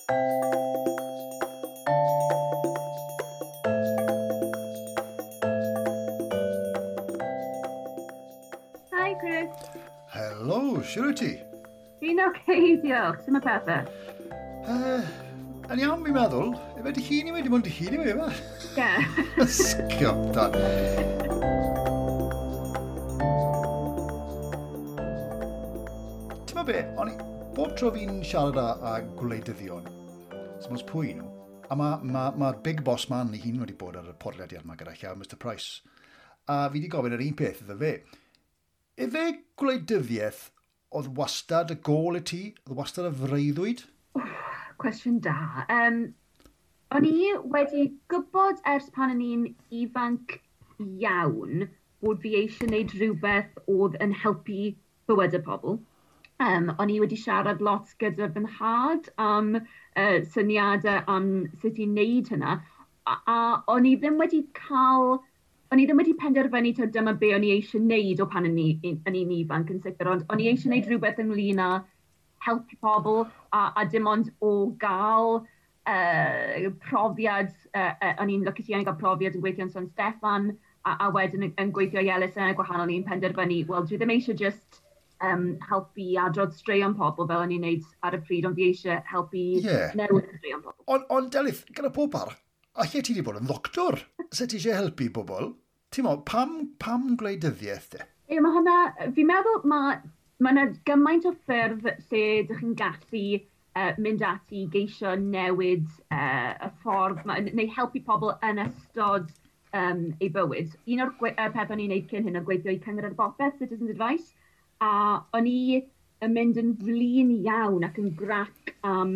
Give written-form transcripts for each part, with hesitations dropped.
Hi, Chris. Helo, siwr wyt ti? Fi'n oce, okay, diolch. Sut mae pethau? Yn iawn, fi'n meddwl. Efe dy hun i wedi, dim ond dy hun i wedi, efe? Ie. Sgio, da. Ti'n be, o'n i, bob tro fi'n siarad â gwleidyddion, sy'n ots pwy nhw, a mae ma, ma big boss man ei hun wedi bod ar y podlediad yma gyda llaw, Mr Price, a fi wedi gofyn yr un peth iddo fe. Efe gwleidyddiaeth oedd wastad y gôl i ti? Oedd wastad y freuddwyd? Cwestiwn da. O'n i wedi gwybod ers pan o'n i'n ifanc iawn bod fi eisiau gwneud rhywbeth oedd yn helpu bywydau pobl. O'n i wedi siarad lot gyda fy nhad am syniadau am sut i wneud hynna, a o'n i ddim wedi cael, o'n i ddim wedi penderfynu taw dyma be o'n i eisiau wneud o pan o'n i'n ifanc yn sicr, ond o'n i eisiau wneud rhywbeth ynglyn â helpu pobl a dim ond o gael profiad, o'n i'n lwcus iawn i gael profiad yn gweithio yn San Steffan a wedyn yn gweithio i elusennau gwahanol, o'n i'n penderfynu, wel, dwi ddim eisiau just helpu adrodd straeon pobl fel o'n i'n neud ar y pryd, ond fi eisiau helpu newid straeon pobl. Ond Delyth, gyda pob parch, alle ti wedi bod yn ddoctor? Sut ti eisiau helpu bobl? Ti'n meddwl, pam gwleidyddiaeth de? Ie, mae hwnna, fi'n meddwl mae yna gymaint o ffyrdd lle dych chi'n gallu mynd ati i geisio newid y ffordd, neu helpu pobl yn ystod eu bywyd. Un o'r pethau o'n i'n neud cyn hyn oedd gweithio i Cyngor ar Bopeth, Citizens Advice, a o'n i yn mynd yn flin iawn ac yn grac am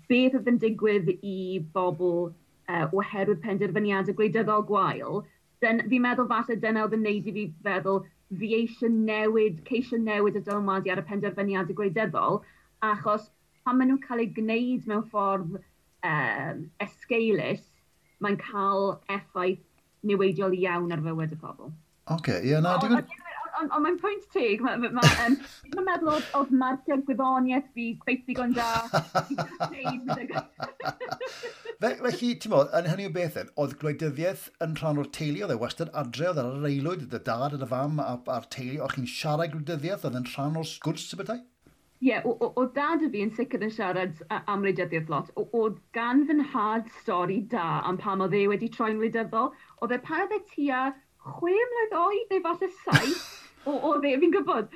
beth oedd yn digwydd i bobl oherwydd penderfyniadau gwleidyddol gwael. Fi'n meddwl falle dyna oedd yn neud i fi feddwl fi eisiau newid, ceisio newid y dylanwadu ar y penderfyniadau gwleidyddol, achos pan maen nhw'n cael eu gwneud mewn ffordd esgeulus, mae'n cael effaith niweidiol iawn ar fywyd y pobl. Oce, ie, na, digon... Ond mae'n pwynt teg, mae'n meddwl oedd marciau gwyddoniaeth fi cweith ddigon da. Felly, ti'n meddwl, yn hynny o beth, oedd gwleidyddiaeth yn rhan o'r teulu, oedd e wastad adre, oedd ar yr aelwyd, oedd y dad, oedd y fam a'r teulu, o'ch chi'n siarad gwleidyddiaeth, oedd yn rhan o'r sgwrs y bethau? Ie, oedd dad y fi yn sicr yn siarad am wleidyddiaeth lot. Oedd gan fy nhad stori da am pam oedd e wedi troi'n wleidyddol. Oedd e pan oedd e tua 6 mlwydd oed neu falle 7, oedd e, fi'n gwybod,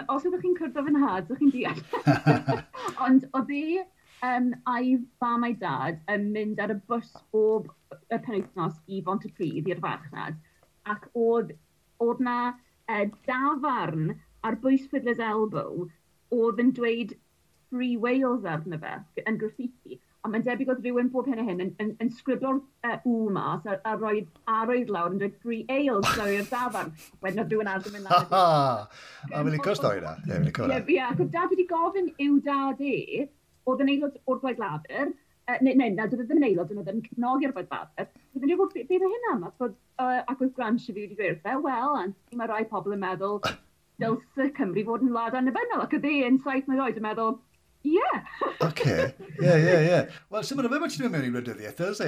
os ydych chi'n cwrdd â fy nhad, ydych chi'n deall. Ond oedd e a'i fam a'i dad yn mynd ar y bws bob y penwythnos i Bontypridd, i'r farchnad, ac oedd na dafarn ar bwys Fiddler's Elbow oedd yn dweud Free Wales arno fe, yn graffiti. A mae'n debyg oedd rhywun bob hyn a hyn yn sgriblo'r U mas a roed arwydd lawr yn dweud Free Ales lawr i'r dafarn. Wedyn oedd rhywun arall yn mynd lawr. A fi'n licio'r stori na. Ie, fi'n licio hwnna. Ie, ac oedd dad wedi gofyn i'w dad e, oedd yn aelod o'r Blaid Lafur, neu, na, doedd e ddim yn aelod, ond oedd yn cefnogi'r Blaid Lafur. Oedd yn dweud, beth oedd hynna am? Ac oedd Grant fi wedi dweud wrth e, wel, mae rai pobl yn meddwl dylse Cymru fod yn wlad annibynnol, ac oedd e yn 7 mlwydd oed yn meddwl, ie. Oce, ie. Wel, sy'n mynd o fe bod ti'n mynd mewn i wleidyddiaeth,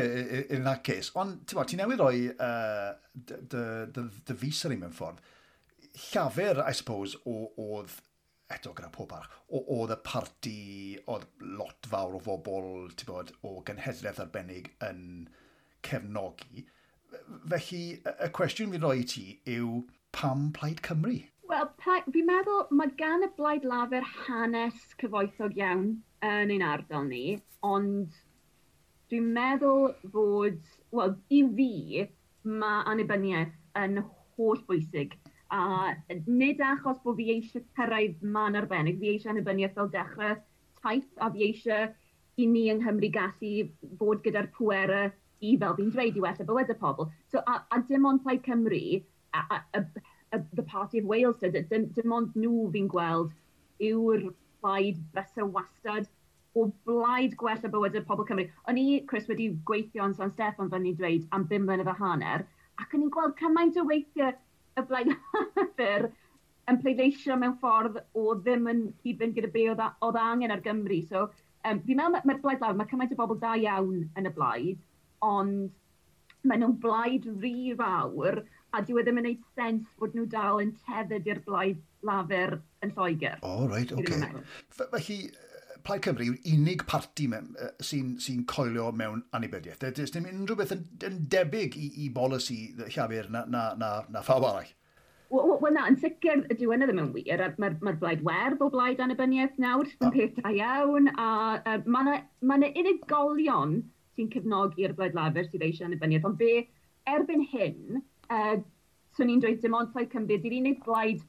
in that case. Ond, ti'n bod, ti newydd roi dy fys ar un mewn ffordd. Llafur, I suppose, oedd, eto gyda pob parch, oedd y parti, oedd lot fawr o fobl, ti'n bod, o genhedlaeth arbennig yn cefnogi. Felly, y cwestiwn fi'n rhoi i ti yw, pam Plaid Cymru? Wel, fi'n meddwl mae gan y Blaid Lafur hanes cyfoethog iawn yn ein ardal ni, ond dwi'n meddwl fod, wel, i fi, mae annibyniaeth yn holl bwysig. A nid achos bod fi eisiau cyrraedd man arbennig, fi eisiau annibyniaeth fel dechrau taith, a fi eisiau i ni yng Nghymru gallu fod gyda'r pwerau i, fel fi'n dweud, i wella bywydau pobl. So, a dim ond Plaid Cymru, the Party of Wales, dim ond nhw fi'n gweld yw'r plaid fysa wastad o blaid gwella bywydau pobl Cymru. O'n i, Chris, wedi gweithio yn San Steffan, fel ni'n dweud, am 5 mlynedd a hanner, ac o'n i'n gweld cymaint o weithiau y Blaid Lafur yn pleidleisio mewn ffordd o ddim yn cyd-fynd gyda be oedd angen ar Gymru. So, Fi'n meddwl mae'r Blaid Lafur, mae cymaint o bobl da iawn yn y blaid, ond maen nhw'n blaid rhy fawr, a dyw e ddim yn gwneud sens bod nhw dal yn tethered i'r Blaid Lafur yn Lloegr. O, oh, reit, oce. Okay. Felly, Plaid Cymru yw'r unig parti sy'n sy coelio mewn annibyniaeth. Does dim unrhyw beth yn debyg i bolisi Llafur na phawb arall. Wel na, yn sicr dyw hynny ddim yn wir. Mae'r ma Blaid Werdd o blaid annibyniaeth nawr, sy'n peth da iawn, a mae yna ma unigolion sy'n cefnogi'r Blaid Lafur sydd eisiau annibyniaeth, ond be erbyn hyn, swn i'n dweud dim ond Plaid Cymru, di'r unig blaid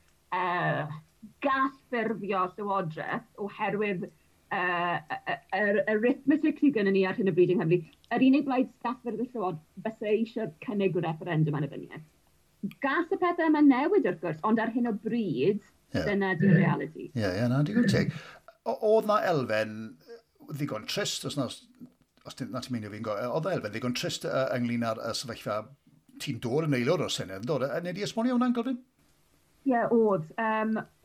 gall ffurfio llywodraeth oherwydd yr arithmetic sydd gennym ni ar hyn o bryd yng Nghymru, yr unig blaid gall ffurfio llywodraeth fysa eisiau cynnig y referendum annibyniaeth. Gall y pethau yma newid wrth gwrs, ond ar hyn o bryd, dyna di'r reality. Ie, yeah, yeah, na, digon teg. Oedd na elfen ddigon trist, os na ti'n meindio fi'n go, oedd na elfen ddigon trist ynglyn â'r sefyllfa ti'n dod yn aelod o'r Senedd, yn dod? Neu di esbonio hwnna'n gyflym? Ie, yeah, oedd.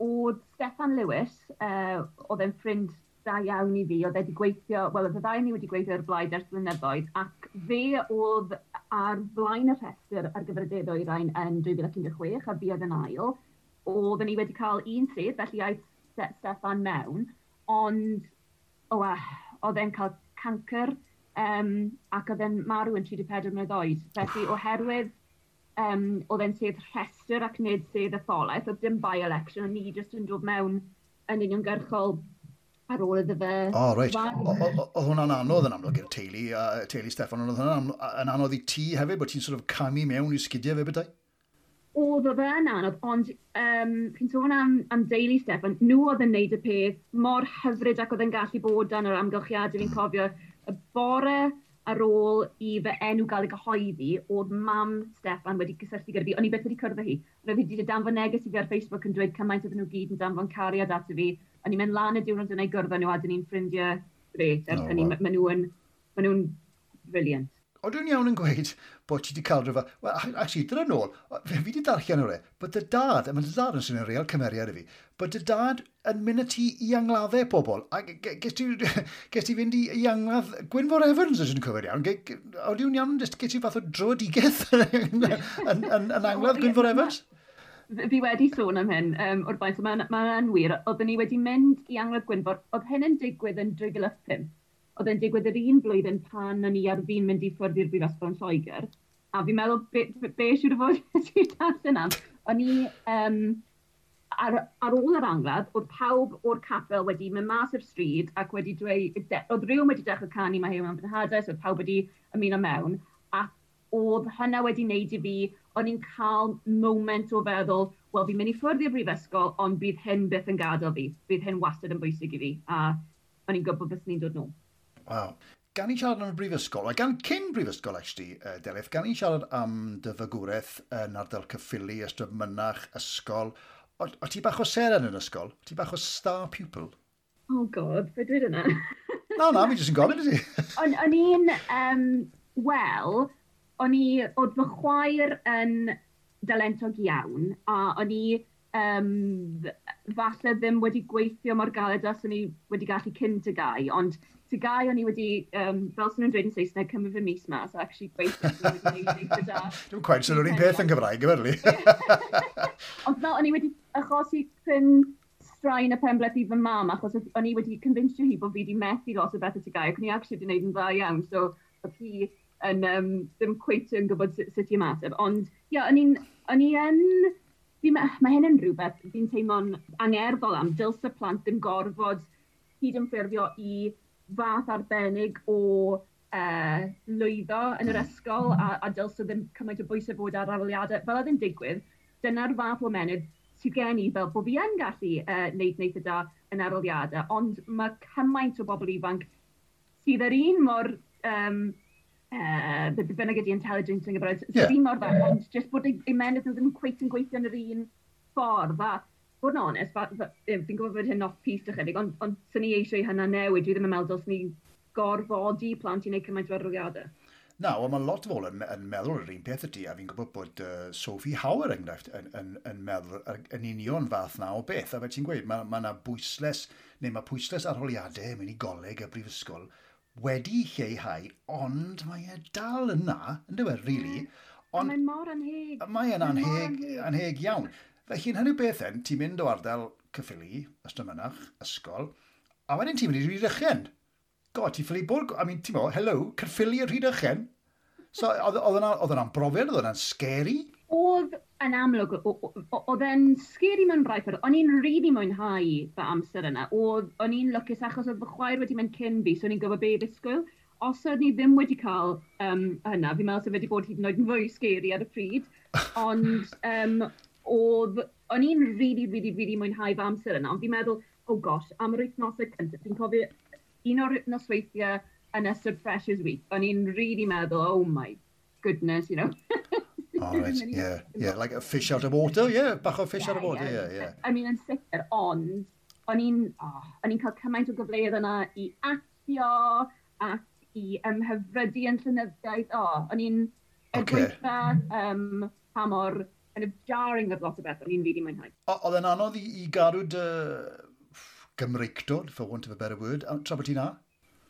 Oedd Steffan Lewis, oedd e'n ffrind da iawn i fi, oedd e wedi gweithio, wel, oedd y ddau ni wedi gweithio ar blaid ers blynyddoedd, ac fe oedd ar flaen y rhestr ar gyfer y De Ddwyrain yn 2016, a fi oedd yn ail. Oedden ni wedi cael un sedd, felly aeth Steffan mewn, ond oedd e'n cael cancr, ac oedd e'n marw yn 34 mlynedd oed. Felly oherwydd oedd e'n sedd rhestr ac nid sedd etholaeth, oedd dim by-election, ond ni jyst yn dod mewn yn uniongyrchol ar ôl iddo fe. O, oh, reit. Oedd hwnna'n anodd yn amlwg i'r teulu, teulu Steffan, ond oedd hwnna'n yn anodd i ti hefyd, bod ti'n sort of camu mewn i sgidiau fe bethau? Oedd oedd e'n anodd, ond chi'n sôn am deulu Steffan, nhw oedd yn neud y peth mor hyfryd ac oedd yn gallu bod dan yr amgylchiadau. Fi'n cofio y bore ar ôl i fy enw gael ei gyhoeddi, oedd mam Steffan wedi cysylltu gyda fi. O'n i byth wedi cwrdd â hi. Ond oedd hi wedi danfon neges i fi ar Facebook yn dweud cymaint oedden nhw gyd yn danfon cariad ato fi. O'n i'n mynd lan y diwrnod yna i gwrdd â nhw a dyn ni'n ffrindiau grêt. Ers hynny, ma nhw'n brilliant. O, dwi'n iawn yn gweud bod ti wedi cael rhywbeth. Wel, actually, dyna nôl, fi wedi darllen o'r e, bod dy dad, a mae dy dad yn swnio'n real cymeriad i fi, bod dy dad yn mynd â ti i angladdau pobl. A ges ti fynd i angladd Gwynfor Evans, os ydyn cofio'n iawn. O, dwi'n iawn, ges ti fath o dröedigaeth yn angladd Gwynfor Evans? Fi wedi sôn am hyn o'r blaen, so mae'n ma wir. Oedden ni wedi mynd i angladd Gwynfor, oedd hyn yn digwydd yn 2005. Oedd e'n digwydd yr un blwyddyn pan o'n i ar fin mynd i ffwrdd i'r brifysgol yn Lloegr. A fi'n meddwl, be siŵr o fod ti'n darllen am? O'n i, ar ôl yr angladd, oedd pawb o'r capel wedi mynd mas i'r stryd ac wedi dweud, oedd rhywun wedi dechrau canu "Mae Huw Mewn Fy Nhadau", so oedd pawb wedi ymuno mewn, ac oedd hynna wedi wneud i fi, o'n i'n cael moment o feddwl, wel, fi'n mynd i ffwrdd i'r brifysgol, ond bydd hyn byth yn gadael fi, bydd hyn wastad yn bwysig i fi, a o'n i'n gwybod bys ni'n dod nôl. Waw. Gan i siarad am y brifysgol, a gan cyn brifysgol, actually, Delyth, gan i siarad am dy fagwraeth yn ardal Caerffili, Ystrad Mynach, ysgol. O ti bach o seren yn ysgol? O ti bach o star pupil? Oh God, fe dweud yna? Na, fi jyst yn gofyn i ti. O'n i'n, wel, o'n i, oedd fy chwaer yn dalentog iawn, a o'n i falle ddim wedi gweithio mor galed as o'n i wedi gallu cyn TGAU, ond TGAU o'n i wedi, fel sy'n nhw'n dweud yn Saesneg, cymryd fy mis mas, a actually gweithio wedi gwneud eitha da. Dwi'n quite sôn o'r un peth yn Gymraeg, yfyrlu. Ond fel o'n i wedi achosi cryn straen y penbleth i fy mam, achos o'n i wedi convincio hi bod fi wedi methu lot o bethau TGAU, ac o'n i actually wedi gwneud yn dda iawn, so oedd hi yn ddim cweit yn gwybod sut i ymateb. Ond ie, yeah, o'n i yn... Mae hyn yn rhywbeth fi'n teimlo'n angerddol am, dylse plant ddim gorfod cydymffurfio i fath arbennig o lwyddo yn yr ysgol a dylse ddim cymaint o bwysau fod ar arholiadau. Fel oedd yn digwydd, dyna'r fath o ymennydd sydd gen i fel bod fi yn gallu wneud eitha da yn arholiadau, ond mae cymaint o bobl ifanc sydd yr un mor, be bynnag ydy intelligent yn Gymraeg, sydd un mor dda, ond jyst bod eu ymennydd nhw ddim cweit yn gweithio yn yr un ffordd. A bod yn onest, fi'n gwybod bod hyn off-piste ychydig, ond swn i eisiau hynna newid. Dwi ddim yn meddwl dylswn ni gorfodi plant i wneud cymaint o arholiadau. Na, wel, mae lot o bobl yn meddwl yr un peth ydy, a fi'n gwybod bod Sophie Hauer enghraifft yn meddwl yn union fath na o beth. A fe ti'n gweud, mae yna bwyslais, neu mae pwyslais arholiadau mynd i goleg a brifysgol wedi lleihau, ond mae e dal yna, yn dweud, really. Ond mae'n mor anheg. Mae'n anheg iawn. Felly, yn hynny beth en, ti'n mynd o ardal Caerffili, Ystrad ysgol, a wedyn ti'n mynd i Rhydychen. God, ti'n ffili bod, I mean, ti'n mo, hello, Caerffili a Rhydychen. So, oedd yna'n brofiad, oedd yna'n scary? Oedd yn amlwg, oedd e'n scary mewn rai ffordd. O'n i'n really mwynhau fy amser yna. O'n i'n lwcus achos oedd fy chwaer wedi mynd cyn fi, so o'n i'n gwybod be i ddisgwyl. Os oedd ni ddim wedi cael hynna, fi'n meddwl sef wedi bod hyd yn oed yn fwy scary ar y pryd. Ond o'n i'n really, really, really mwynhau fy amser yna. Ond fi'n meddwl, oh gosh, am yr wythnosau cyntaf, fi'n cofio un o'r nosweithiau yn ystod Freshers Week, o'n i'n really meddwl, oh my goodness, you know. Oh, right, yeah, like a fish out of water, yeah, bach o fish out of water, yeah. I mean, yn sicr, ond o'n i'n cael cymaint o gyfleoedd yna i actio ac i ymhyfrydu yn llenyddiaeth. O'n i'n gweitha pa mor kind of jarring oedd lot o beth, o'n i'n really mwynhau. Oedd e'n anodd i gadw dy Gymreictod, for want of a better word, tra bod ti'n na?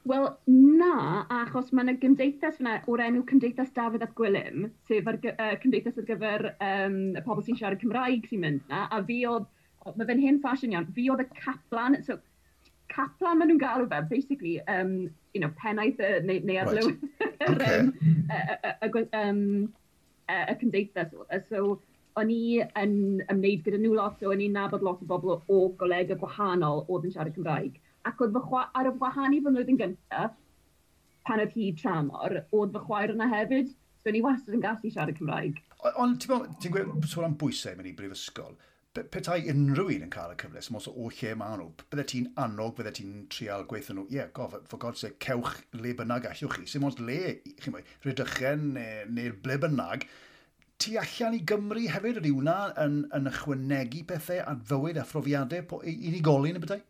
Wel, na, achos mae yna gymdeithas fyna o'r enw Cymdeithas Dafydd ap Gwilym, sef cymdeithas ar gyfer y pobl sy'n siarad Cymraeg sy'n mynd na, a fi oedd, mae fe'n hen ffasiwn iawn, fi oedd y caplan, so caplan maen nhw'n galw fe, basically, you know, pennaeth neu arlywydd y cymdeithas oedd e. So, o'n i yn ymwneud gyda nhw lot, so o'n i'n nabod lot o bobl o golegau gwahanol oedd yn siarad Cymraeg. Ac oedd ar y wahân i fy mlwyddyn gyntaf, pan oedd hi tramor, oedd fy chwaer yna hefyd, so o'n i wastad yn gallu siarad Cymraeg. Ond ti'n gweud sôn am bwysau mewn i brifysgol, petai unrhyw un yn cael y cyfle, sy'n o lle maen nhw, bydde ti'n annog, bydde ti'n trial gweithio nhw, yeah, god, for God's sake, cewch le bynnag allwch chi, sy'n le, chi'n mwy, Rhydychen neu ble bynnag, tu allan i Gymru hefyd, ydy hwnna yn ychwanegu pethau at fywyd a phrofiadau unigolyn y bethau?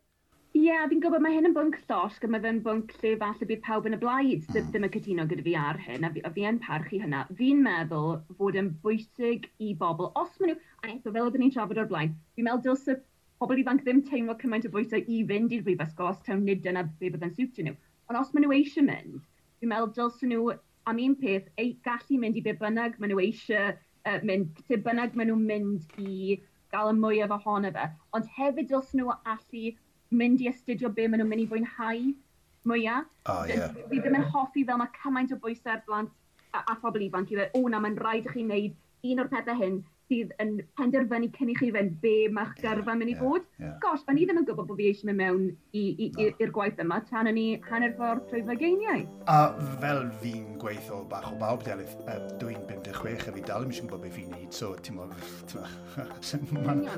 Ie, yeah, fi'n gwybod mae hyn yn bwnc llosg a mae fe'n bwnc lle falle bydd pawb yn y blaid ddim yn cytuno gyda fi ar hyn, a fi yn parchu hynna. Fi'n meddwl fod yn bwysig i bobl, os maen nhw, a eto fel oedden ni'n trafod o'r blaen, fi'n meddwl dylse pobl ifanc ddim teimlo cymaint o bwysau i fynd i'r brifysgol os taw nid dyna be byddai'n siwtio nhw. Ond os maen nhw eisiau mynd, fi'n meddwl dylse nhw am un peth, gallu mynd i be bynnag maen nhw eisiau mynd, lle bynnag maen nhw'n mynd i gael y mwyaf ohono fe. Ond hefyd dylse nhw allu mynd i astudio be maen nhw'n mynd i fwynhau mwyaf. Oh, yeah. Fi ddim yn hoffi fel mae cymaint o bwysau ar blant a phobl ifanc i ddweud, o na, mae'n rhaid i chi wneud un o'r pethau hyn sydd yn penderfynu cyn i chi fynd be mae'ch gyrfa mynd i fod. Yeah. Gosh, o'n i ddim yn gwybod bod fi eisiau mynd mewn i'r gwaith yma tan o'n i hanner ffordd trwy fy geiniau. A fel fi'n gweithio bach o bawb, Delyth, dwi'n 56 a fi dal ddim eisiau gwybod beth fi'n neud, so ti'n mae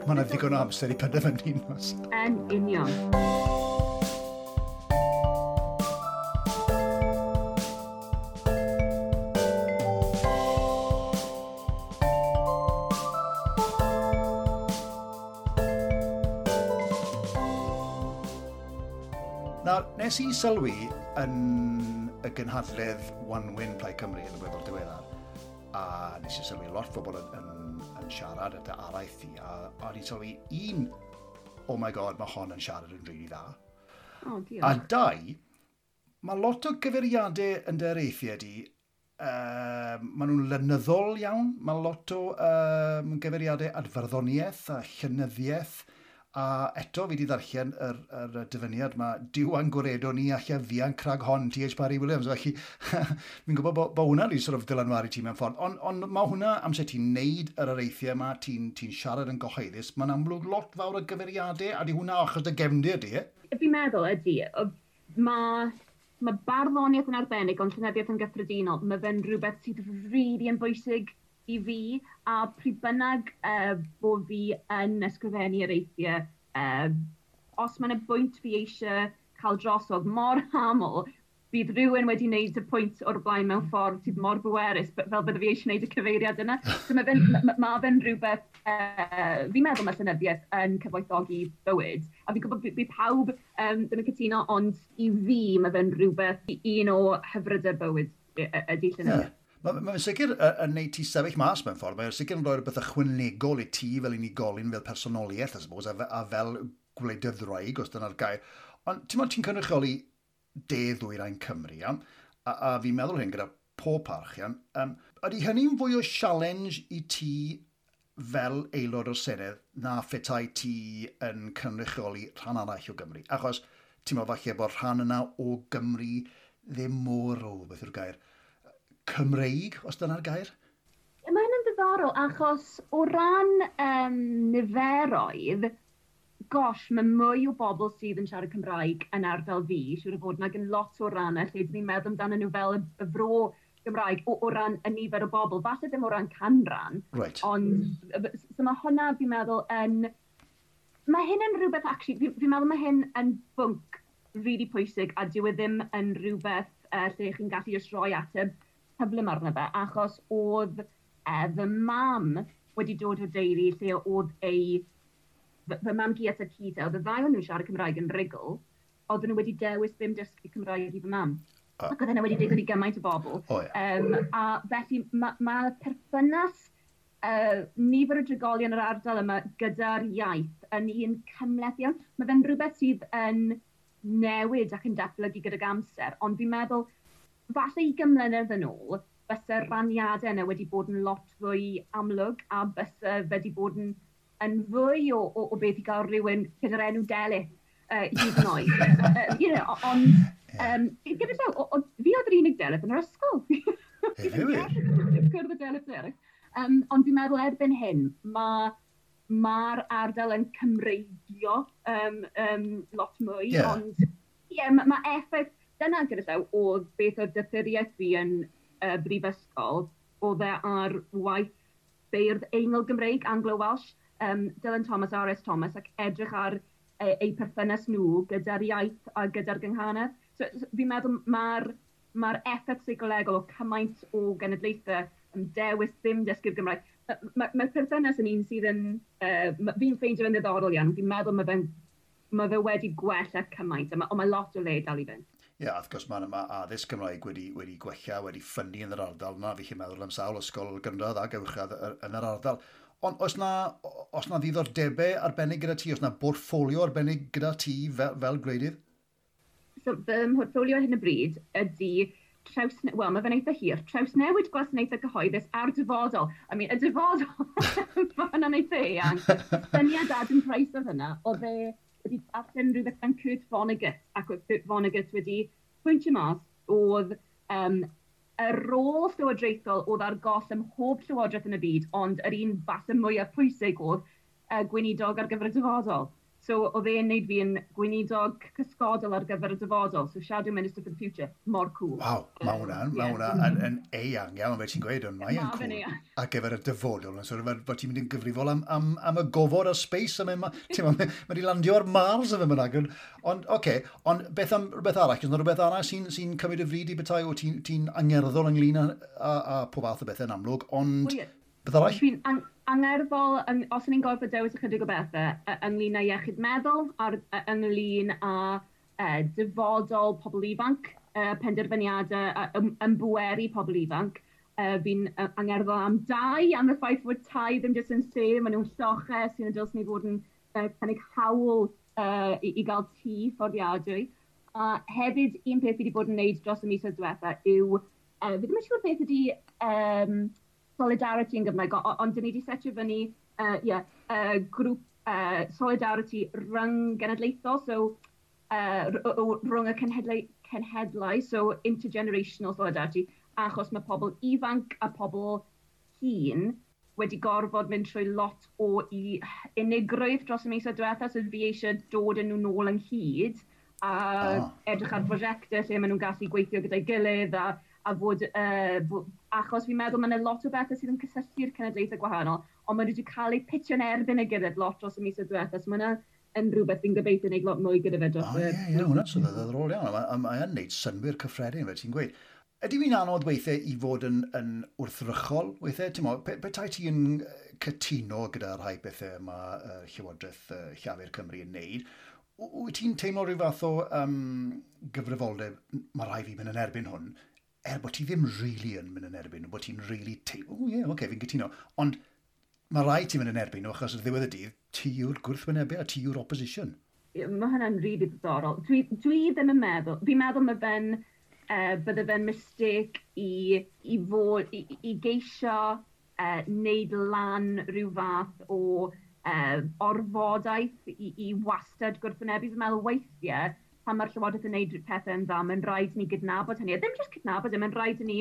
yna ddigon o amser i penderfynu. Yn union. Nes i sylwi yn y gynhadledd Wanwyn Plaid Cymru yn y weddol diweddar, a nes i sylwi lot o bobl yn siarad at y araith i, a o'n i'n sylwi un, oh my god, mae hon yn siarad yn rili dda. Oh, diolch. A dau, mae lot o gyfeiriadau yn dy areithiau di, maen nhw'n lenyddol iawn, mae lot o gyfeiriadau at farddoniaeth a llenyddiaeth, a eto fi wedi ddarllen yr dyfyniad yma, Duw a'n gwaredo ni alla ddianc rhag hon, T.H. Parry Williams. Felly, fi'n gwybod bod hwnna wedi sort of dylanwadu ti mewn ffordd. Ond mae hwnna, amser ti'n neud yr areithiau yma, ti'n siarad yn gyhoeddus, mae'n amlwg lot fawr o gyfeiriadau, a di hwnna achos dy gefndir di, e? Fi'n meddwl ydy, mae barddoniaeth yn arbennig, ond llenyddiaeth yn gyffredinol, mae fe'n rhywbeth sydd rili yn bwysig i fi, a pryd bynnag bod fi yn ysgrifennu areithiau, os mae yna bwynt fi eisiau cael drosodd mor aml, bydd rhywun wedi wneud y pwynt o'r blaen mewn ffordd sydd mor bwerus, fel bydde fi eisiau wneud y cyfeiriad yna. So mae fe'n rhywbeth, fi'n meddwl mae llenyddiaeth yn cyfoethogi bywyd, a fi'n gwybod bydd pawb ddim yn cytuno, ond i fi mae fe'n rhywbeth, un o hyfrydau bywyd. ydy llenyddiaeth. Yeah. Mae'n sicr yn neud ti sefyll mas mewn ffordd. Mae'n sicr yn rhoi rhywbeth ychwanegol i ti fel unigolyn, fel personoliaeth, I suppose, a fel gwleidyddwraig, os dyna'r gair. Ond ti'n meddwl ti'n cynrychioli de ddwyrain Cymru, iawn? A fi'n meddwl hyn gyda pob parch, iawn. Ydy hynny'n fwy o challenge i ti fel aelod o'r Senedd na phetai ti yn cynrychioli rhan arall o Gymru? Achos ti'n meddwl falle bod rhan yna o Gymru ddim mor o, beth yw'r gair, Cymreig, os dyna'r gair? Mae hynny'n ddiddorol, achos o ran niferoedd, gosh, mae mwy o bobl sydd yn siarad Cymraeg yn ardal fi, siŵr o fod, nag yn lot o rannau lle dyn ni'n meddwl amdano nhw fel y fro Gymraeg o ran y nifer o bobl, falle ddim o ran canran, ond so mae hwnna, fi'n meddwl, yn... Mae hyn yn rhywbeth, actually, fi'n meddwl mae hyn yn bwnc really pwysig a dyw e ddim yn rhywbeth lle chi'n gallu jyst rhoi ateb cyflym arno fe, achos oedd fy mam wedi dod o deulu lle oedd ei... Fy mam-gu a tad-cu, oedd y ddau o'n nhw'n siarad Cymraeg yn rhugl, oedden nhw wedi dewis ddim dysgu Cymraeg i fy mam. Ac oedd hynna wedi digwydd i gymaint o bobl. Oh, yeah. A felly ma perthynas nifer o drigolion yr ardal yma gyda'r iaith yn un cymhleth iawn. Mae fe'n rhywbeth sydd yn newid ac yn datblygu gydag amser, ond fi'n meddwl, falle 20 mlynedd yn ôl, bysa'r raniadau yna wedi bod yn lot fwy amlwg a bysa wedi bod yn fwy o beth i gael rhywun gyda'r enw Delyth hyd yn oed. Ond gyda llaw, fi oedd yr unig Delyth yn yr ysgol. Fi'n cwrdd y Delyth eraill. Ond fi'n meddwl erbyn hyn, mae'r ardal yn Cymreigio lot mwy. Yeah. Ond ie, ma effaith, dyna gyda llaw, oedd beth oedd doethuriaeth fi yn brifysgol, oedd e ar waith beirdd Eingl Gymreig, Anglo-Welsh, Dylan Thomas, R.S. Thomas, ac edrych ar eu perthynas nhw gyda'r iaith a gyda'r gynghanedd. So fi'n meddwl mae'r effaith seicolegol o cymaint o genedlaethau yn dewis ddim dysgu'r Gymraeg. Mae'r perthynas yn un sydd yn... fi'n ffeindio fe'n ddiddorol iawn. Fi'n meddwl mae fe wedi gwella cymaint, ond mae lot o le dal i fynd. Ie, yeah, wrth gwrs mae addysg Gymraeg wedi gwella, wedi ffynnu yn yr ardal yna. Fi'n meddwl am sawl ysgol gynradd ac uwchradd yn yr ardal. Ond oes na ddiddordebau arbennig gyda ti? Oes na bortffolio arbennig gyda ti fel gwleidydd? So, fy mhortffolio ar hyn o bryd ydy mae fe'n eitha hir, trawsnewid gwasanaethau cyhoeddus a'r dyfodol. I mean, y dyfodol, mae hwnna'n eitha eang. Syniad Adam Price oedd hynna, oedd e wedi darllen rhywbeth gan Kurt Vonnegut, ac oedd Kurt Vonnegut wedi pwyntio mas oedd y rôl llywodraethol oedd ar goll ym mhob llywodraeth yn y byd, ond yr un falle mwyaf pwysig oedd gweinidog ar gyfer y dyfodol. So oedd e'n neud fi yn gweinidog cysgodol ar gyfer y dyfodol. So Shadow Minister for the Future, mor cool. Waw, mae hwnna yn eang iawn, fe ti'n gweud, ond mae'n cool. Ar gyfer y dyfodol, so bod ti'n mynd yn gyfrifol am y gofod a space, a mae wedi landio ar Mars a fe mynd. Ond, oce, ond beth am rhywbeth arall? Oes yna rhywbeth arall sy'n cymryd y fryd i bethau? O ti'n angerddol ynglyn â pob fath o bethau yn amlwg, ond beth arall? Dwi'n angerddol, os o'n i'n gorfod dewis ychydig o bethau, ynglyn â iechyd meddwl, ynglyn â dyfodol pobl ifanc, penderfyniadau, ymbweru pobl ifanc. Fi'n angerddol am dai, am y ffaith fod tai ddim jyst yn lle, maen nhw'n lloches sy'n dylsyn ni fod yn cynnig hawl i gael tŷ fforddiadwy. A hefyd, un peth fi wedi bod yn wneud dros y misoedd diwetha yw, fi ddim yn siŵr beth ydy solidarity yn Gymraeg, ond dyn ni wedi setio fyny grŵp solidarity rhyng genedlaethol, so rhwng y cenhedlau, so intergenerational solidarity, achos mae pobl ifanc a pobl hŷn wedi gorfod mynd trwy lot o unigrwydd dros y misoedd diwetha, so fi eisiau dod â nhw nôl ynghyd a edrych ar brosiectau lle maen nhw'n gallu gweithio gyda'i gilydd a fod, achos fi'n meddwl mae yna lot o bethau sydd yn cysylltu'r cenedlaethau gwahanol, ond maen nhw wedi cael eu pitio'n erbyn ei gilydd lot dros y misoedd diwetha, so mae yna yn rhywbeth fi'n gobeithio wneud lot mwy gyda fe dros y... Ie, hwnna'n sydd ddiddorol iawn, a mae'n neud synnwyr cyffredin, fel ti'n gweud. Ydy fi'n anodd weithiau i fod yn wrthrychol weithiau? Ti'n mo, petai ti'n cytuno gyda rhai bethau mae Llywodraeth Llafur Cymru yn neud, wyt ti'n teimlo rhyw fath o gyfrifoldeb, mae rhai fi mynd yn erbyn hwn, er bod ti ddim really yn mynd yn erbyn nhw, bod ti'n really... O oh, ie, yeah, okay, fi'n cytuno. Ond mae rhaid ti mynd yn erbyn nhw, achos ar ddiwedd y dydd, ti yw'r gwrthwynebu a ti yw'r opposition. Mae hynna'n rili really ddiddorol. Dwi ddim yn meddwl, fi'n meddwl mae fe'n, bydde fe'n mistake i geisio wneud lan rhyw fath o orfodaeth i wastad gwrthwynebu. Fi'n meddwl weithiau, pan mae'r Llywodraeth yn gwneud pethau yn dda, mae'n rhaid ni gydnabod hynny. A ddim jyst cydnabod e, mae'n rhaid i ni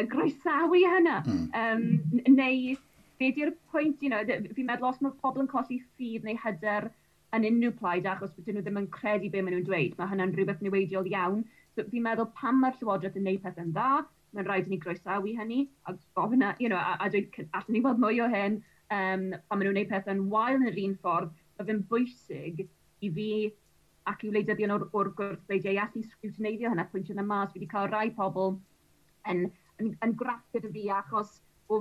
groesawu hynna. Neu, be di'r pwynt, fi'n meddwl os mae pobl yn colli ffydd neu hyder yn unrhyw plaid achos bod nhw ddim yn credu be maen nhw'n dweud, mae hynna'n rhywbeth niweidiol iawn. So fi'n meddwl pan mae'r Llywodraeth yn gwneud pethau'n dda, mae'n rhaid i ni groesawu hynny, a gofyn, a dweud, allwn ni weld mwy o hyn, pan maen nhw'n gwneud pethau'n wael yn yr un ffordd, mae fe'n bwysig i fi ac i wleidyddion o'r gwrthbleidiau i allu sgrwtineiddio hynna, pwyntio yna mas. Fi wedi cael rai pobl yn graff gyda fi achos bo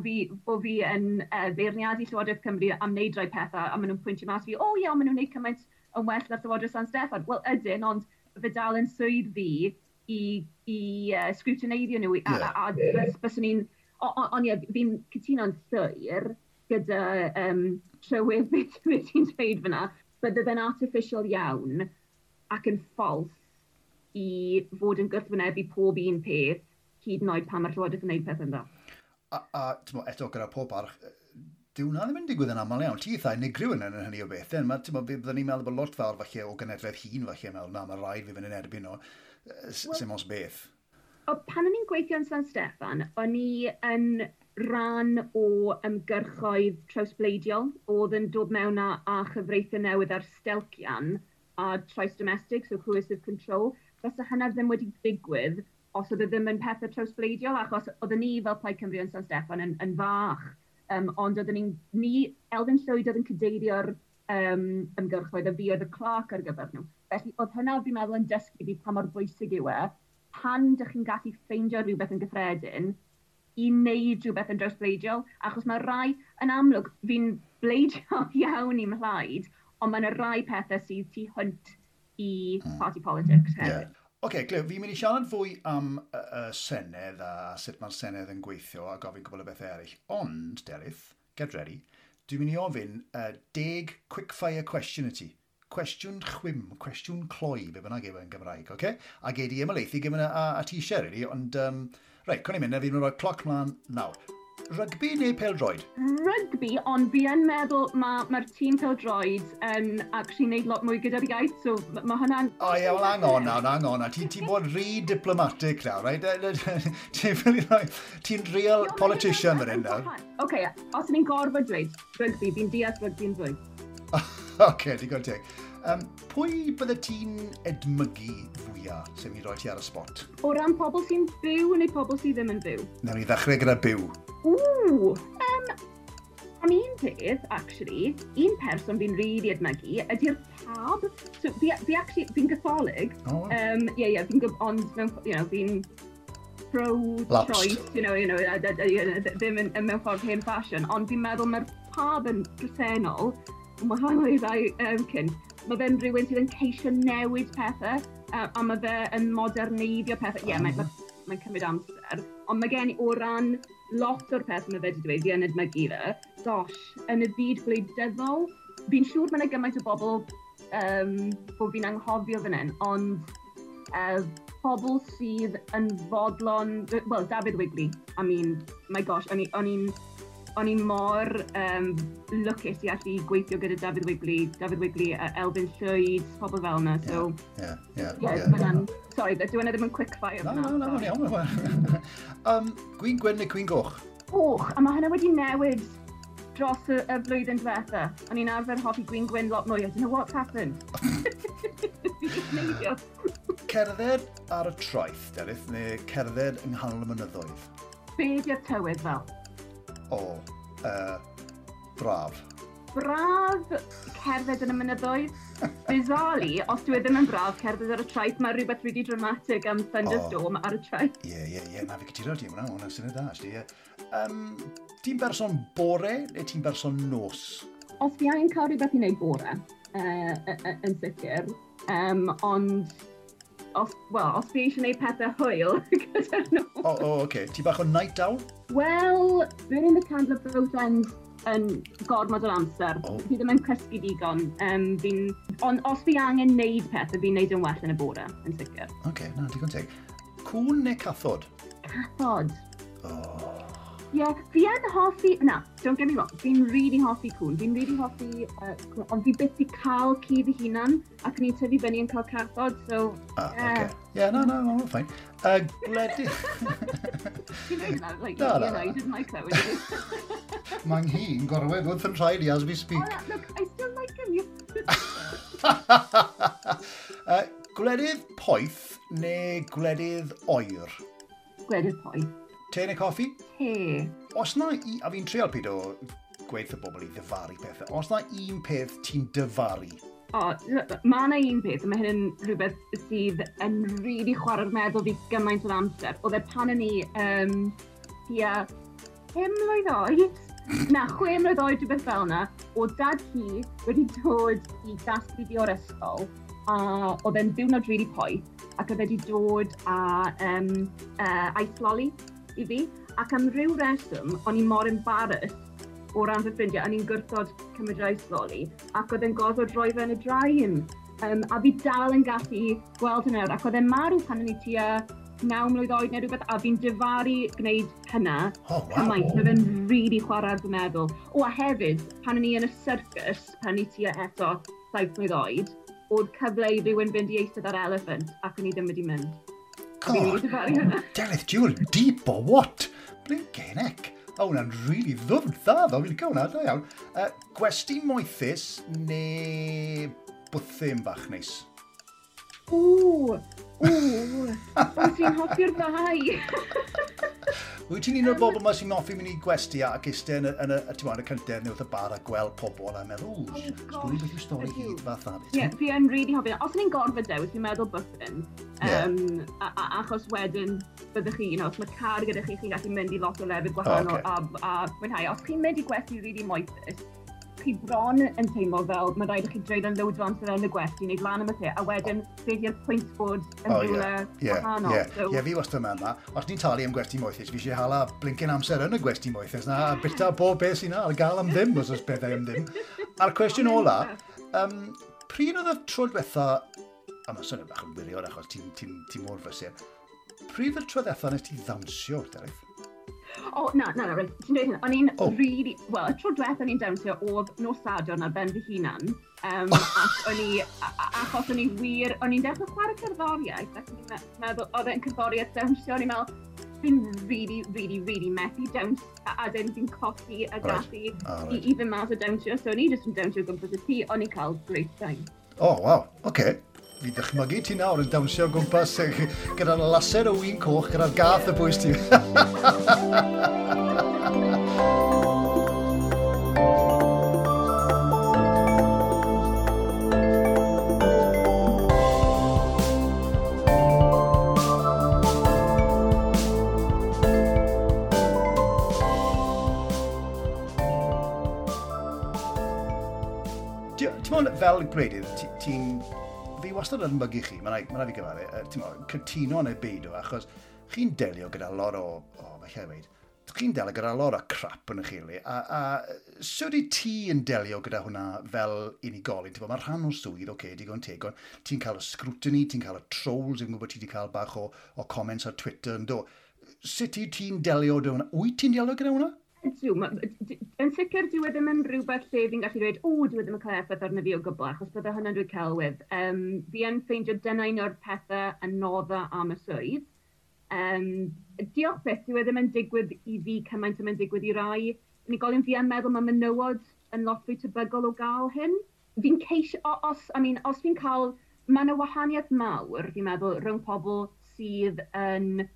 fi yn beirniadu Llywodraeth Cymru am wneud rai pethau, a maen nhw'n pwyntio mas fi, o ie, maen nhw'n wneud cymaint yn well na'r Llywodraeth San Steffan. Wel, ydyn, ond fe dal yn swydd fi i sgrwtineiddio nhw. A byswn i'n... Ond ie, fi'n cytuno'n llwyr gyda trywydd beth ti'n dweud fyna. Bydde fe'n artificial iawn ac yn ffals i fod yn gwrthwynebu pob un peth, hyd yn oed pan mae'r Llywodraeth yn gwneud pethau'n dda. A t'mo, eto gyda pob parch, dyw hwnna ddim yn digwydd yn aml iawn. Ti eitha unigryw yn hynny o beth. Then. Byddwn ni'n meddwl bod lot fawr falle o genedlaeth hŷn falle yn meddwl, na, mae rhaid fi fynd yn erbyn nhw. Sim os beth. O, pan o'n i'n gweithio yn San Steffan, o'n i yn rhan o ymgyrchoedd trawsbleidiol oedd yn dod mewn â chyfreithiau newydd ar stelcian a trais domestig, so coercive control. Fysa hynna ddim wedi digwydd os oedd e ddim yn pethau trawsbleidiol, achos oedden ni fel Plaid Cymru yn San Steffan yn fach. Ond oedden ni, Elfyn Llwyd oedd yn cadeirio'r ymgyrchoedd a fi oedd y clerk ar gyfer nhw. Felly oedd hynna fi'n meddwl yn dysgu fi pa mor bwysig yw e, pan dych chi'n gallu ffeindio rhywbeth yn gyffredin i wneud rhywbeth yn drawsbleidiol, achos mae rai, yn amlwg, fi'n bleidiol iawn i mhlaid, ond mae yna rai pethau sydd tu hwnt i party politics hefyd. Yeah. Oce, Cleo, fi'n mynd i siarad fwy am y Senedd a sut mae'r Senedd yn gweithio a gofyn cwbl o bethau eraill. Ond, Delyth, get ready, dwi'n mynd i ofyn 10 quickfire question i ti. Cwestiwn chwim, cwestiwn cloi, be bynnag yw e yn Gymraeg, oce? A gei di ymhelaethu gyda a ti eisiau, really, ond, reit, con i'n mynd, fi'n mynd rhoi cloc mlaen nawr. Rygbi neu pêl-droed? Rygbi, ond fi yn meddwl mae'r tîm pêl-droed yn actually neud lot mwy gyda'r iaith, so mae hwnna'n... O ie, well, hang on nawr, hang on. Ti'n bod rhy diplomatic nawr, right? Ti'n real politician fan hyn nawr. Oce, os ni'n gorfod dweud rygbi, fi'n deall rygbi'n fwy. Oce, digon teg. Pwy bydde ti'n edmygu fwyaf sy'n mynd i roi ti ar y spot? O ran pobl sy'n byw neu pobl sydd ddim yn byw? Nawn ni ddechrau gyda byw. Ww! Am un peth, actually, un person fi'n really edmygu ydy'r Pab. So, fi actually, fi'n Gatholig. Oh. Ie, yeah, fi'n, ond mewn, fi'n pro-choice, ddim yn mewn ffordd hen fashion, ond fi'n meddwl mae'r Pab yn presennol, yn wahanol i rai cyn, mae fe'n rhywun sydd yn ceisio newid pethau, a mae fe yn moderneiddio pethau. Ie, yeah, mae'n cymryd amser, ond mae gen i o ran lot o'r peth mae fe wedi dweud, fi yn edmygu fe. Gosh, yn y byd gwleidyddol, fi'n siŵr mae yna gymaint o bobl bod fi'n anghofio fan hyn, ond pobl sydd yn fodlon, well, Dafydd Wigley, I mean, my gosh, o'n i'n mor lwcus i allu gweithio gyda Dafydd Wigley, Elfyn Llwyd, pobl fel yna, so... Yeah. Sorry, dyw hwnna ddim yn quick fire. Na, iawn. Gwin gwyn neu gwin goch? Goch, a mae hynna wedi newid dros y flwyddyn diwetha. O'n i'n arfer hoffi gwin gwyn lot mwy. I don't know what's happened. Fi jyst neidio. Cerdded ar y traeth, Delyth, neu cerdded yng nghanol y mynyddoedd? Be di'r tywydd fel? O, braf. Braf cerdded yn y mynyddoedd. Bizarrely, os dwi ddim yn braf cerdded ar y traeth, mae rhywbeth really dramatic am thunderstorm ar y traeth. Ie, na fi cytuno ti, hwnna'n syniad da, actually, ie. Ti'n berson bore neu ti'n berson nos? Os fi angen cael rhywbeth i wneud bore, yn sicr, ond Os, well, os fi eisiau gwneud pethau hwyl gyda'r nos. O, oh, oh, okay. Ti bach o night owl? Wel, burning the candle at both ends yn gormod o'r amser. Oh. Fi ddim yn cysgu digon. Ond os fi angen neud pethau, fi'n neud yn well yn y bore, yn sicr. Oce, okay, na, digon teg. Cwn neu cathod? Cathod. Oh. Ie, yeah, fi yn hoffi... Na, don't get me wrong, fi'n really hoffi cwn. Fi'n really hoffi cwn, ond fi byth i cael ci fy hunan, ac ni'n tyfu fyny yn cael cathod, so... Ah, yeah. Okay. Yeah, no, no, no, fine. Gwledydd... Ti'n dweud na, like, no, no, you know, you didn't like that, would you? Mae'n hi'n gorwedd wrth yn rhaid i as we speak. Oh, look, I still like him. Gwledydd poeth neu gwledydd oer? Gwledydd poeth. Te neu coffi? Te. Os na, a fi'n treial pyd o gweithio bobl i ddyfaru pethau, os na un peth ti'n dyfaru? O, mae yna un peth, a mae hyn yn rhywbeth sydd yn rili chwarae'r meddwl fi gymaint o'r amser. Oedd e pan o'n i tua 5 mlwydd oed, na, 6 mlwydd oed, rhywbeth fel yna, o dad hi wedi dod i gasglu fi o'r ysgol, a oedd e'n diwrnod rili poeth, ac oedd e wedi dod â ice lolly i fi, ac am ryw reswm, o'n i mor embarrassed o ran fy ffrindiau, o'n i'n gwrthod cymryd yr ice lolly, ac oedd e'n gorfod rhoi fe yn y drain. A fi dal yn gallu gweld hynny nawr, ac oedd e'n marw pan o'n i tua 9 mlwydd oed neu rhywbeth, a fi'n difaru gwneud hynna. Oh, wow. Cymaint, mae fe'n really chwarae ar fy meddwl. O, a hefyd, pan o'n i yn y circus, pan o'n i tua eto 7 mlwydd oed, oedd cyfle i rywun fynd i eistedd ar elephant, ac o'n i ddim wedi mynd. God, Delyth, you're deep or what? Blinking heck. O, hwnna'n really ddwfn dda, ddo. Fi'n licio hwnna, da iawn. Gwesti moethus neu bwthyn bach neis? Ww, ww, ti'n hoffi'r ddau. Wyt ti'n un o'r bobl yma sy'n hoffi mynd i gwesti ac eistedd yn y cyntedd neu wrth y bar a gweld pobl a meddwl, ww, sgwn i beth yw stori hyd fath na. Ie, fi yn really hoffi. Os ni'n gorfod dewis, fi'n meddwl bwthyn. Achos wedyn, byddwch chi, you know, os mae car gyda chi, chi'n gallu mynd i lot o lefydd gwahanol a mwynhau. Os chi'n mynd i gwesti really moethus, chi bron yn teimlo fel mae rhaid i chi dreulio loads o amser yn y gwesti, wneud lan am y lle, a wedyn beth yw'r pwynt bod yn rhywle wahanol. Ie, fi wastad yn meddwl, os ni'n talu am gwesti moethus, fi eisiau hala blincyn amser yn y gwesti moethus na, a bita bob beth sy'n ar gael am ddim, os oes pethau am ddim. A'r cwestiwn ola, pryd oedd y tro diwetha, a mae swnio bach yn wirion achos ti'n mor frysur, pryd oedd y tro diwetha nes ti ddawnsio, Delyth? O, na, reit, ti'n dweud hynna. O'n i'n really, wel, y tro diwetha o'n i'n dawnsio oedd nos Sadwrn ar ben fy hunan, ac o'n i, achos o'n i wir, o'n i'n dechrau chwarae cerddoriaeth, ac o'n i'n meddwl, oedd e'n cerddoriaeth dawnsio, o'n i'n meddwl, fi'n really, really, really methu dawns, a dyn fi'n colli y gallu i fynd mas o dawnsio, so o'n i jyst yn dawnsio o gwmpas y tŷ, o'n i'n cael great time. Oh, wow, oce. Fi ddychmygu ti nawr yn dawnsio o gwmpas gyda'r laser o win coch, gyda'r gath y bwys ti. Ti'n meddwl fel gwleidydd, ti'n... Fi wastad yn mygu chi, mae'n rhaid fi gyfadde, ti'n meddwl, cytuno neu beidio, achos chi'n delio gyda lot o, falle weud, chi'n delio gyda lot o crap yn eich le, a sut i ti yn delio gyda hwnna fel unigolyn? Ti'n meddwl, mae rhan o'r swydd, oce, digon teg, ond ti'n cael y scrutiny, ti'n cael y trolls, fi'n gwybod ti wedi cael bach o comments ar Twitter yn do. Sut i ti'n delio gyda hwnna? Wyt ti'n delio gyda hwnna? Ydw, yn sicr dyw e ddim yn rhywbeth lle fi'n gallu dweud, o, dyw e ddim yn cael effaith arno fi o gwbl, achos bydde hynna'n dweud celwydd. Fi yn ffeindio dyna un o'r pethau anodda am y swydd. Diolch byth, dyw e ddim yn digwydd i fi cymaint â mae'n digwydd i rai unigolion. Fi yn meddwl mae menywod yn lot fwy tebygol o gael hyn. Fi'n ceisio, os, I mean, os fi'n cael, mae yna wahaniaeth mawr, fi'n meddwl, rhwng pobl sydd yn,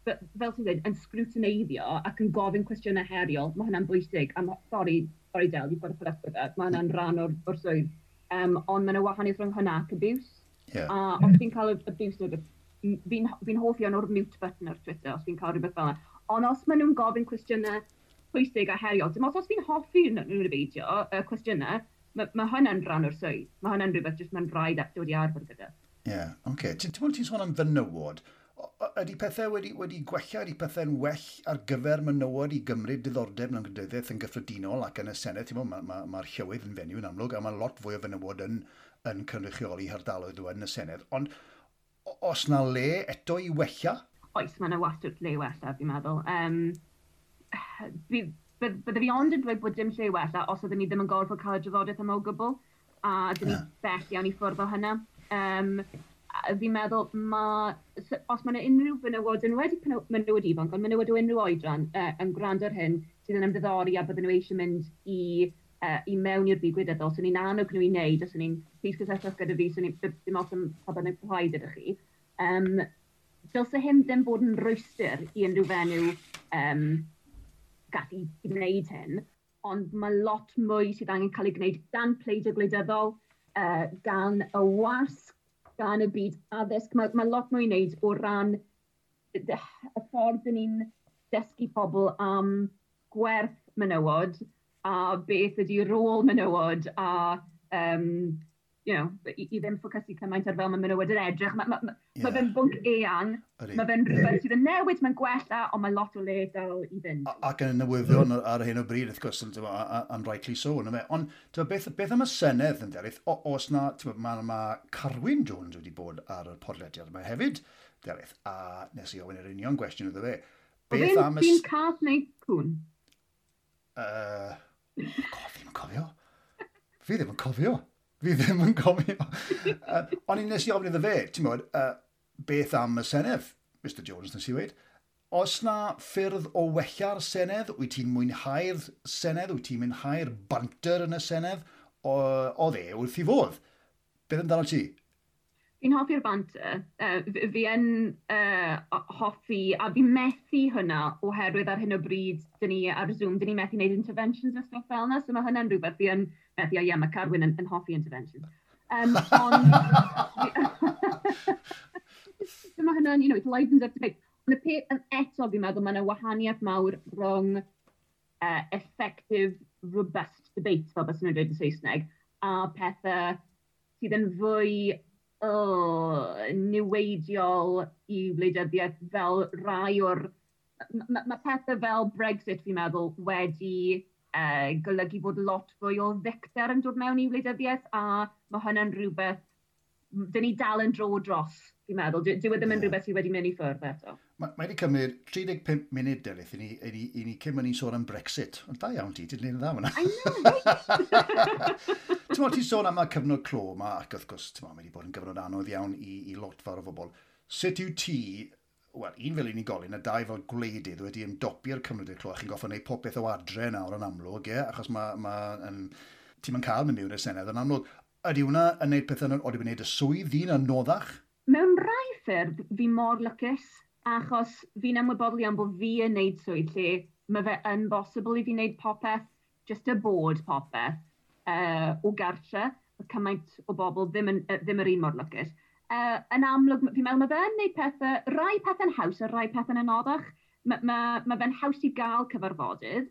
fel ti'n dweud, yn scrutineiddio ac yn gofyn cwestiynau heriol, mae hynna'n bwysig. A sorry Del, you've got to put up with that. Mae hynna'n rhan o'r swydd. Ond mae yna wahaniaeth rhwng hynna ac abuse. Yeah. A os fi'n cael abuse, fi'n hoff iawn o'r mute button ar Twitter, os fi'n cael rhywbeth fel yna. Ond os maen nhw'n gofyn cwestiynau pwysig a heriol, dim os fi'n hoffi nhw'n y beidio, y cwestiynau, mae hynna'n rhan o'r swydd. Mae hynna'n rhywbeth jyst mae'n rhaid dod i arfer gyda. Ie, yeah, oce. Okay. Ti'n sôn am fenywod. Ydy pethau wedi gwella, ydy pethau'n well ar gyfer menywod i gymryd diddordeb mewn gwleidyddiaeth yn gyffredinol ac yn y Senedd? Ti'n Mae'r ma llywydd yn fenyw yn amlwg, a mae lot fwy o fenywod yn cynrychioli hardaloedd nhw yn y Senedd. Ond os na le eto i wella? Oes, mae yna wastad le i wella, fi'n meddwl. Bydde fi ond yn dweud bod dim lle i wella os oedden ni ddim yn gorfod cael y drafodaeth yma o gwbl, a dyn ni bell iawn i ffwrdd o hynna. Fi'n meddwl, os mae yna unrhyw fenywod, yn wedi menywod ifanc, ond menywod o unrhyw oedran yn gwrando ar hyn, sydd yn ymddiddori a bydden nhw eisiau mynd i mewn i'r byd gwleidyddol, so ni'n annog nhw i wneud, os ni'n plîs cysylltwch gyda fi, so ni'n dim ots am pa bynnag plaid ydych chi. Dylse hyn ddim bod yn rwystr i unrhyw fenyw gallu gwneud hyn, ond mae lot mwy sydd angen cael ei gwneud gan pleidiau gwleidyddol, gan y wasg, gan y byd addysg. Mae lot mwy i wneud o ran y ffordd dyn ni'n dysgu pobl am gwerth menywod a beth ydy rôl menywod a i ddim ffocysu cymaint ar fel mae menywod yn edrych. Mae fe'n bwnc eang, mae fe'n rhywbeth sydd yn newid, mae'n gwella, ond mae lot o le dal i fynd. Ac yn y newyddion ar hyn o bryd, wrth gwrs, and rightly so. Ond beth am y Senedd yn Delyth? Os na, mae Carwyn Jones wedi bod ar y podlediad yma hefyd, Delyth, a nes i ofyn yr union gwestiwn iddo fe. Beth am y... Fi'n cath neu cwn? Fi ddim yn cofio. Fi ddim yn cofio. Fi ddim yn cofio. Ond nes i ofyn iddo fe, ti'n bod, beth am y Senedd, Mr Jones, nes i weud. Os na ffyrdd o wella'r Senedd, wyt ti'n mwynhau'r Senedd, wyt ti'n mwynhau'r banter yn y Senedd, oedd e wrth i fodd. Beth amdano ti? Fi'n hoffi'r banter. Fi yn hoffi, a fi'n methu hynna oherwydd ar hyn o bryd, dyn ni ar Zoom, dyn ni methu wneud interventions a stwff fel yna, so mae hynna'n rhywbeth fi yn methu, a ie, mae Carwyn yn hoffi interventions. Ond mae hynna'n, it livens up debate. Ond y peth eto, fi'n meddwl, mae yna wahaniaeth mawr rhwng effective, robust debate, fel bys nhw'n dweud yn Saesneg, a pethau sydd yn fwy niweidiol i wleidyddiaeth fel rai o'r... Mae pethau fel Brexit, fi'n meddwl, wedi golygu bod lot fwy o ddicter yn dod mewn i wleidyddiaeth, a mae hynna'n rhywbeth dyn ni dal yn dro dros, fi'n meddwl. Dyw e ddim yn rhywbeth sydd wedi mynd i ffwrdd eto. Mae wedi cymryd 35 munud, Delyth, i ni cyn mynd i'n sôn am Brexit. Ond da iawn ti, ti'n gwneud yn dda fyna. I know, right? Ti'n sôn am y cyfnod clo yma, ac wrth gwrs, mae wedi bod yn gyfnod anodd iawn i lot fawr o bobl. Sut yw ti, wel, un fel unigolyn a dau fel gwleidydd wedi ymdopi'r cyfnod clo, a chi'n goffo wneud popeth o adre nawr yn amlwg, ie? Achos ti'n mynd cael mynd mewn i'r Senedd yn amlwg. Ydy hwnna yn gwneud pethau, oeddi wedi'n gwneud y swydd ddi'n anoddach? Mewn rai ffyrdd, fi mor lwcus, achos fi'n ymwybodol iawn bod fi yn gwneud swydd lle mae fe yn bosibl i fi wneud popeth, just y bod popeth, o gartre. Mae cymaint o bobl ddim yr un mor lwcus. Yn amlwg, fi'n meddwl mae fe'n gwneud pethau, rai pethau'n haws a rai pethau'n anoddach. Ma fe'n haws i gael cyfarfodydd,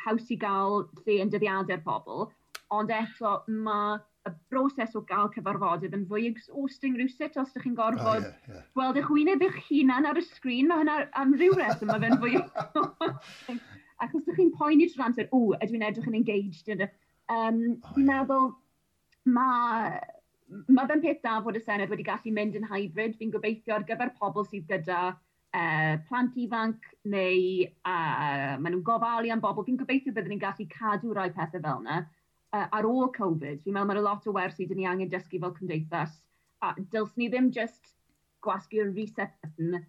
haws i gael lle yn dyddiadau'r pobl, ond eto mae y broses o gael cyfarfodydd yn fwy exhausting rhywsut os ydych chi'n gorfod gweld eich wyneb eich hunan ar y sgrin, mae hynna am ryw reswm, mae fe'n fwy exhausting. Ac os ydych chi'n poeni trwy'r amser, o, ydw i'n edrych yn engaged? Fi'n meddwl, mae fe'n peth da fod y Senedd wedi gallu mynd yn hybrid. Fi'n gobeithio ar gyfer pobl sydd gyda plant ifanc neu maen nhw'n gofalu am bobl. Fi'n gobeithio byddwn ni'n gallu cadw rai pethau fel yna. Ar ôl Covid, fi'n meddwl mae'n lot o wersi dyn ni angen dysgu fel cymdeithas. A dylswn ni ddim just gwasgu'r reset button,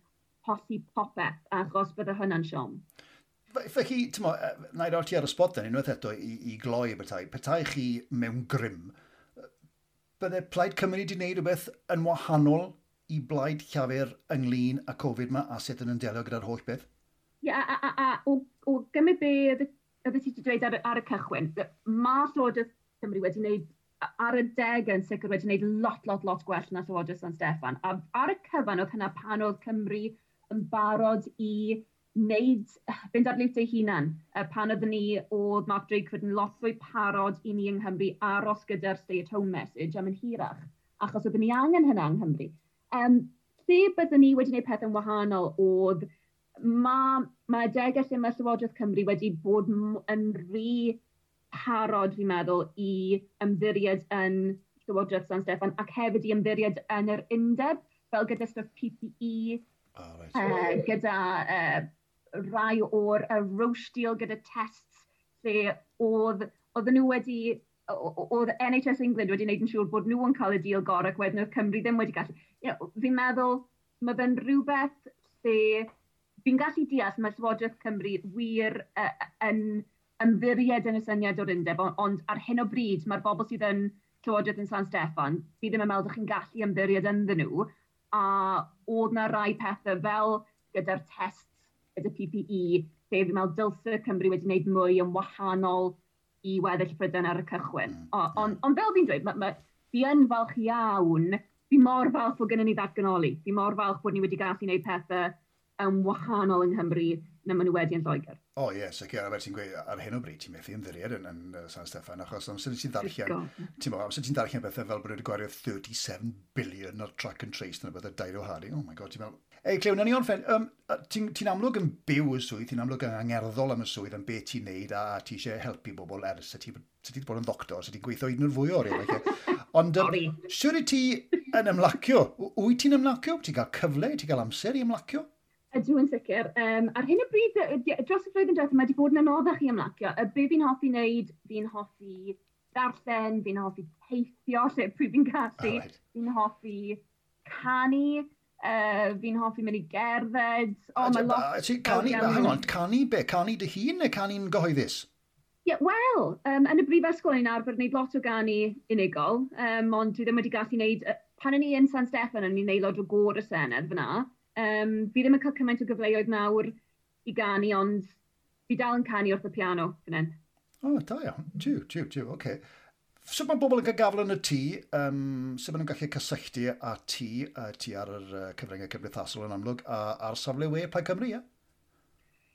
hollti popeth, achos bydde hynna'n siom. Felly, ti'n mo, na i roi ti ar y spot then, unwaith eto i gloi petai chi mewn grym, bydde Plaid Cymru wedi gwneud rhywbeth yn wahanol i Blaid Llafur ynglyn â Covid yma a sut yn delio gyda'r holl beth? Ie, yeah, a o gymryd be oedd ti wedi dweud ar y cychwyn, mae Llywodraeth Cymru wedi gwneud, ar y deg yn sicr wedi gwneud lot, lot, lot gwell na Llywodraeth San Steffan. A ar y cyfan oedd hynna pan oedd Cymru yn barod i wneud, fynd ar liwt ei hunan. Pan oedden ni, oedd Mark Drakeford yn lot fwy parod i ni yng Nghymru aros gyda'r stay-at-home message am yn hirach. Achos oedden ni angen hynna yng Nghymru. Lle byddwn ni wedi gwneud pethau'n wahanol oedd mae adegau lle mae Llywodraeth Cymru wedi bod yn rhy parod, fi'n meddwl, i ymddiried yn Llywodraeth San Steffan ac hefyd i ymddiried yn yr undeb, fel gyda stuff PPE, oh, right. Gyda rai o'r Roche deal gyda tests, lle oedden nhw wedi, oedd NHS England wedi gwneud yn siŵr bod nhw yn cael y deal gorau ac wedyn oedd Cymru ddim wedi gallu. Fi'n meddwl, mae fe'n rhywbeth lle fi'n gallu deall mae Llywodraeth Cymru wir yn ymddiried yn y syniad o'r undeb, ond ar hyn o bryd mae'r bobl sydd yn Llywodraeth yn San Steffan, fi ddim yn meddwl bod chi'n gallu ymddiried ynddyn nhw, a oedd na rai pethau fel gyda'r tests, gyda PPE, lle fi'n meddwl dylse Cymru wedi gwneud mwy yn wahanol i weddill Prydain ar y cychwyn. Ond fel fi'n dweud, fi yn falch iawn, fi mor falch bod gennym ni ddatganoli, fi mor falch bod ni wedi gallu gwneud pethau yn wahanol yng Nghymru na maen nhw wedi yn Lloegr. O ie, sicr, a fel ti'n gweud, ar hyn o bryd ti'n methu ymddiried yn San Steffan, achos amser ti'n ddarllen, ti'n bo, amser ti'n darllen bethau fel bod nhw wedi gwario 37 billion ar track and trace, neu bethau dair o Hardy, oh my God, ti'n meddwl. Ei, Cleo, na ni orffen, ti'n amlwg yn byw y swydd, ti'n amlwg yn angerddol am y swydd, am beth ti'n neud, a ti eisiau helpu bobl ers, ti wedi bod yn ddoctor, so ti'n gweithio hyd yn oed fwy o oriau. Ond siwr i ti yn ymlacio? Wyt ti'n ymlacio? Ti'n cael cyfle, ti'n cael amser i ymlacio? Ydw yn sicr. Ar hyn o bryd, dros y flwyddyn diwethaf, mae wedi bod yn anoddach i ymlacio. Be fi'n hoffi wneud, fi'n hoffi darllen, fi'n hoffi teithio, lle pryd fi'n gallu, fi'n hoffi canu, fi'n hoffi mynd i gerdded. O, mae lot. Canu, hang on, canu be? Canu dy hun neu canu'n gyhoeddus? Ie, yeah, wel, yn y brifysgol ni'n arfer wneud lot o ganu unigol, ond dwi ddim wedi gallu wneud. Pan o'n i yn San Steffan, o'n i'n aelod o gôr y Senedd fyna. Fi ddim yn cael cymaint o gyfleoedd nawr i ganu, ond fi dal yn canu wrth y piano fan hyn. O, da iawn. Tiw, tiw, tiw, oce. Sut mae bobl yn cael gafel yn y tŷ? Sut maen nhw'n gallu cysylltu â ti ar yr cyfryngau cymdeithasol yn amlwg, a ar safle we Plaid Cymru, ie?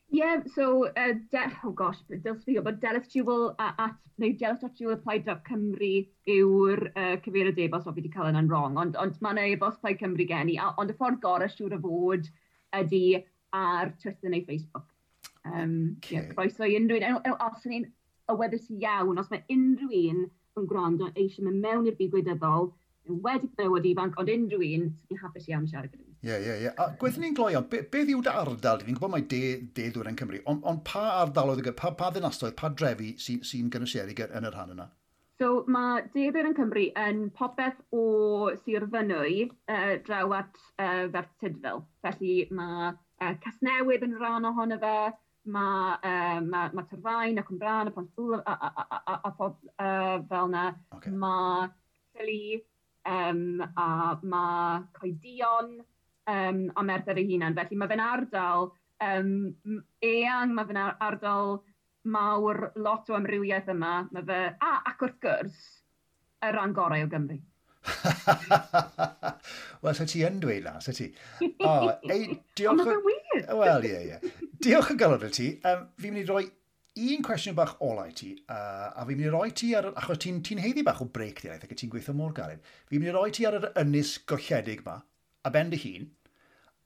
Yeah, so, oh gosh, dylse fi gwybod, Delyth Jewell at, neu delyth.jewell@plaid.cymru yw'r cyfeiriad e-bost, o fi wedi cael yna'n wrong, ond mae yna e-bost Plaid Cymru gen i, ond y ffordd gorau siŵr o fod ydy ar Twitter neu Facebook. Yeah, croeso i unrhyw un, os ni'n awyddus iawn, os mae unrhyw un yn gwrando eisiau mynd mewn i'r byd gwleidyddol, wedi bod ifanc, ond unrhyw un sy'n hapus iawn siarad gyda ni. Ie, ie, ie. A gweithio ni'n gloi, beth yw dy ardal? Fi'n gwybod mai de ddwyrain Cymru, ond pa ardaloedd, pa ddinasoedd, pa drefi sy'n gynwysiedig yn y rhan yna? So mae de ddwyrain Cymru yn popeth o Sir Fynwy draw at Ferthyr Tudful. Felly mae Casnewydd yn rhan ohono fe, mae Torfaen a Cwmbran a Pontypool a pob fel yna. Okay. Mae Philly, a mae Coedion a Merthyr ei hunan. Felly mae fe'n ardal eang, mae fe'n ardal mawr, lot o amrywiaeth yma. Mae fe, ac wrth gwrs, y rhan gorau o Gymru. Wel, se ti yn dweud na, se ti. O, ei, diolch. Ond mae fe'n wir. Wel, ie, ie. Diolch yn galon i ti. Fi'n mynd i roi un cwestiwn bach ola i ti, a fi'n mynd i roi ti ar, achos ti'n haeddu bach o break di, ac ti'n gweithio mor galed, fi'n mynd i roi ti ar yr ynys golledig ma, a ben dy hun,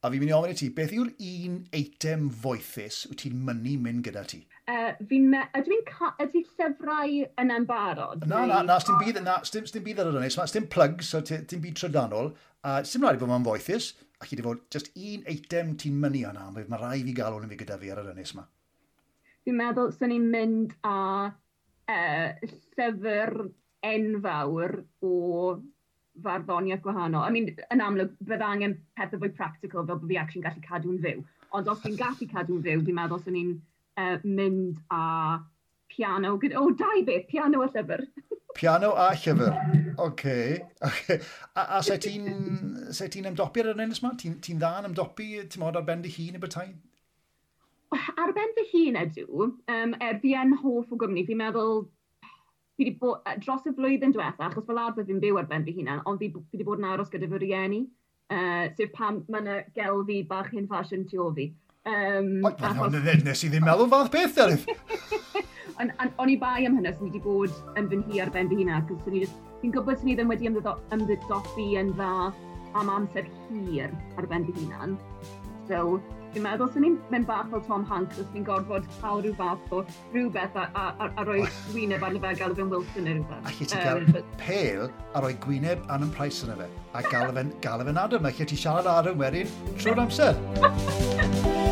a fi'n mynd i ofyn i ti, beth yw'r un eitem foethus wyt ti'n mynnu mynd gyda ti? Ydy llyfrau yna'n barod? Na, na, na, sdim byd, na, sdim byd ar yr ynys, sdim plugs, so dim byd trydanol, a sdim rhaid i fod ma'n foethus, a chi di fod just un eitem ti'n mynnu yna, mae rhaid fi gael hwn i fi gyda fi ar yr ynys ma. Fi'n meddwl swn i'n mynd â llyfr enfawr o farddoniaeth gwahanol. I mean, yn amlwg, bydde angen pethau fwy practical fel bod fi actually'n gallu cadw'n fyw. Ond os fi'n gallu cadw'n fyw, fi'n meddwl swn i'n mynd â piano. O, dau beth, piano a llyfr. Piano a llyfr. Oce. Okay. A se ti'n ymdopi ar yr ynys ma? Ti'n dda yn ymdopi, ti'n modd ar ben dy hun y bethau? Ar ben fy hun ydw, er fi yn hoff o gwmni, fi'n meddwl, fi wedi bod, dros y flwyddyn diwetha, achos fel arfer fi'n byw ar ben fy hunan, ond fi wedi bod yn aros gyda fy rieni, sef pam mae yna gelfi bach hen ffasiwn tu ôl fi. Nes i ddim meddwl fath beth, Delyth. O'n i bai am hynny, swn i wedi bod yn fy nhŷ ar ben fy hunan, achos swn i just Fi'n gwybod sy'n ni ddim wedi ymddiddori yn dda am amser hir ar ben fy hunan. So, fi'n meddwl sy'n ni'n mynd bach fel Tom Hanks os ni'n gorfod cael rhyw fath o rhywbeth a rhoi gwyneb arno fe a galw fe'n Wilson neu rhywbeth. Allet ti gael pêl a rhoi gwyneb Adam Price yna fe, a galw fe'n Adam. Allet ti siarad Adam wedyn trwy'r amser.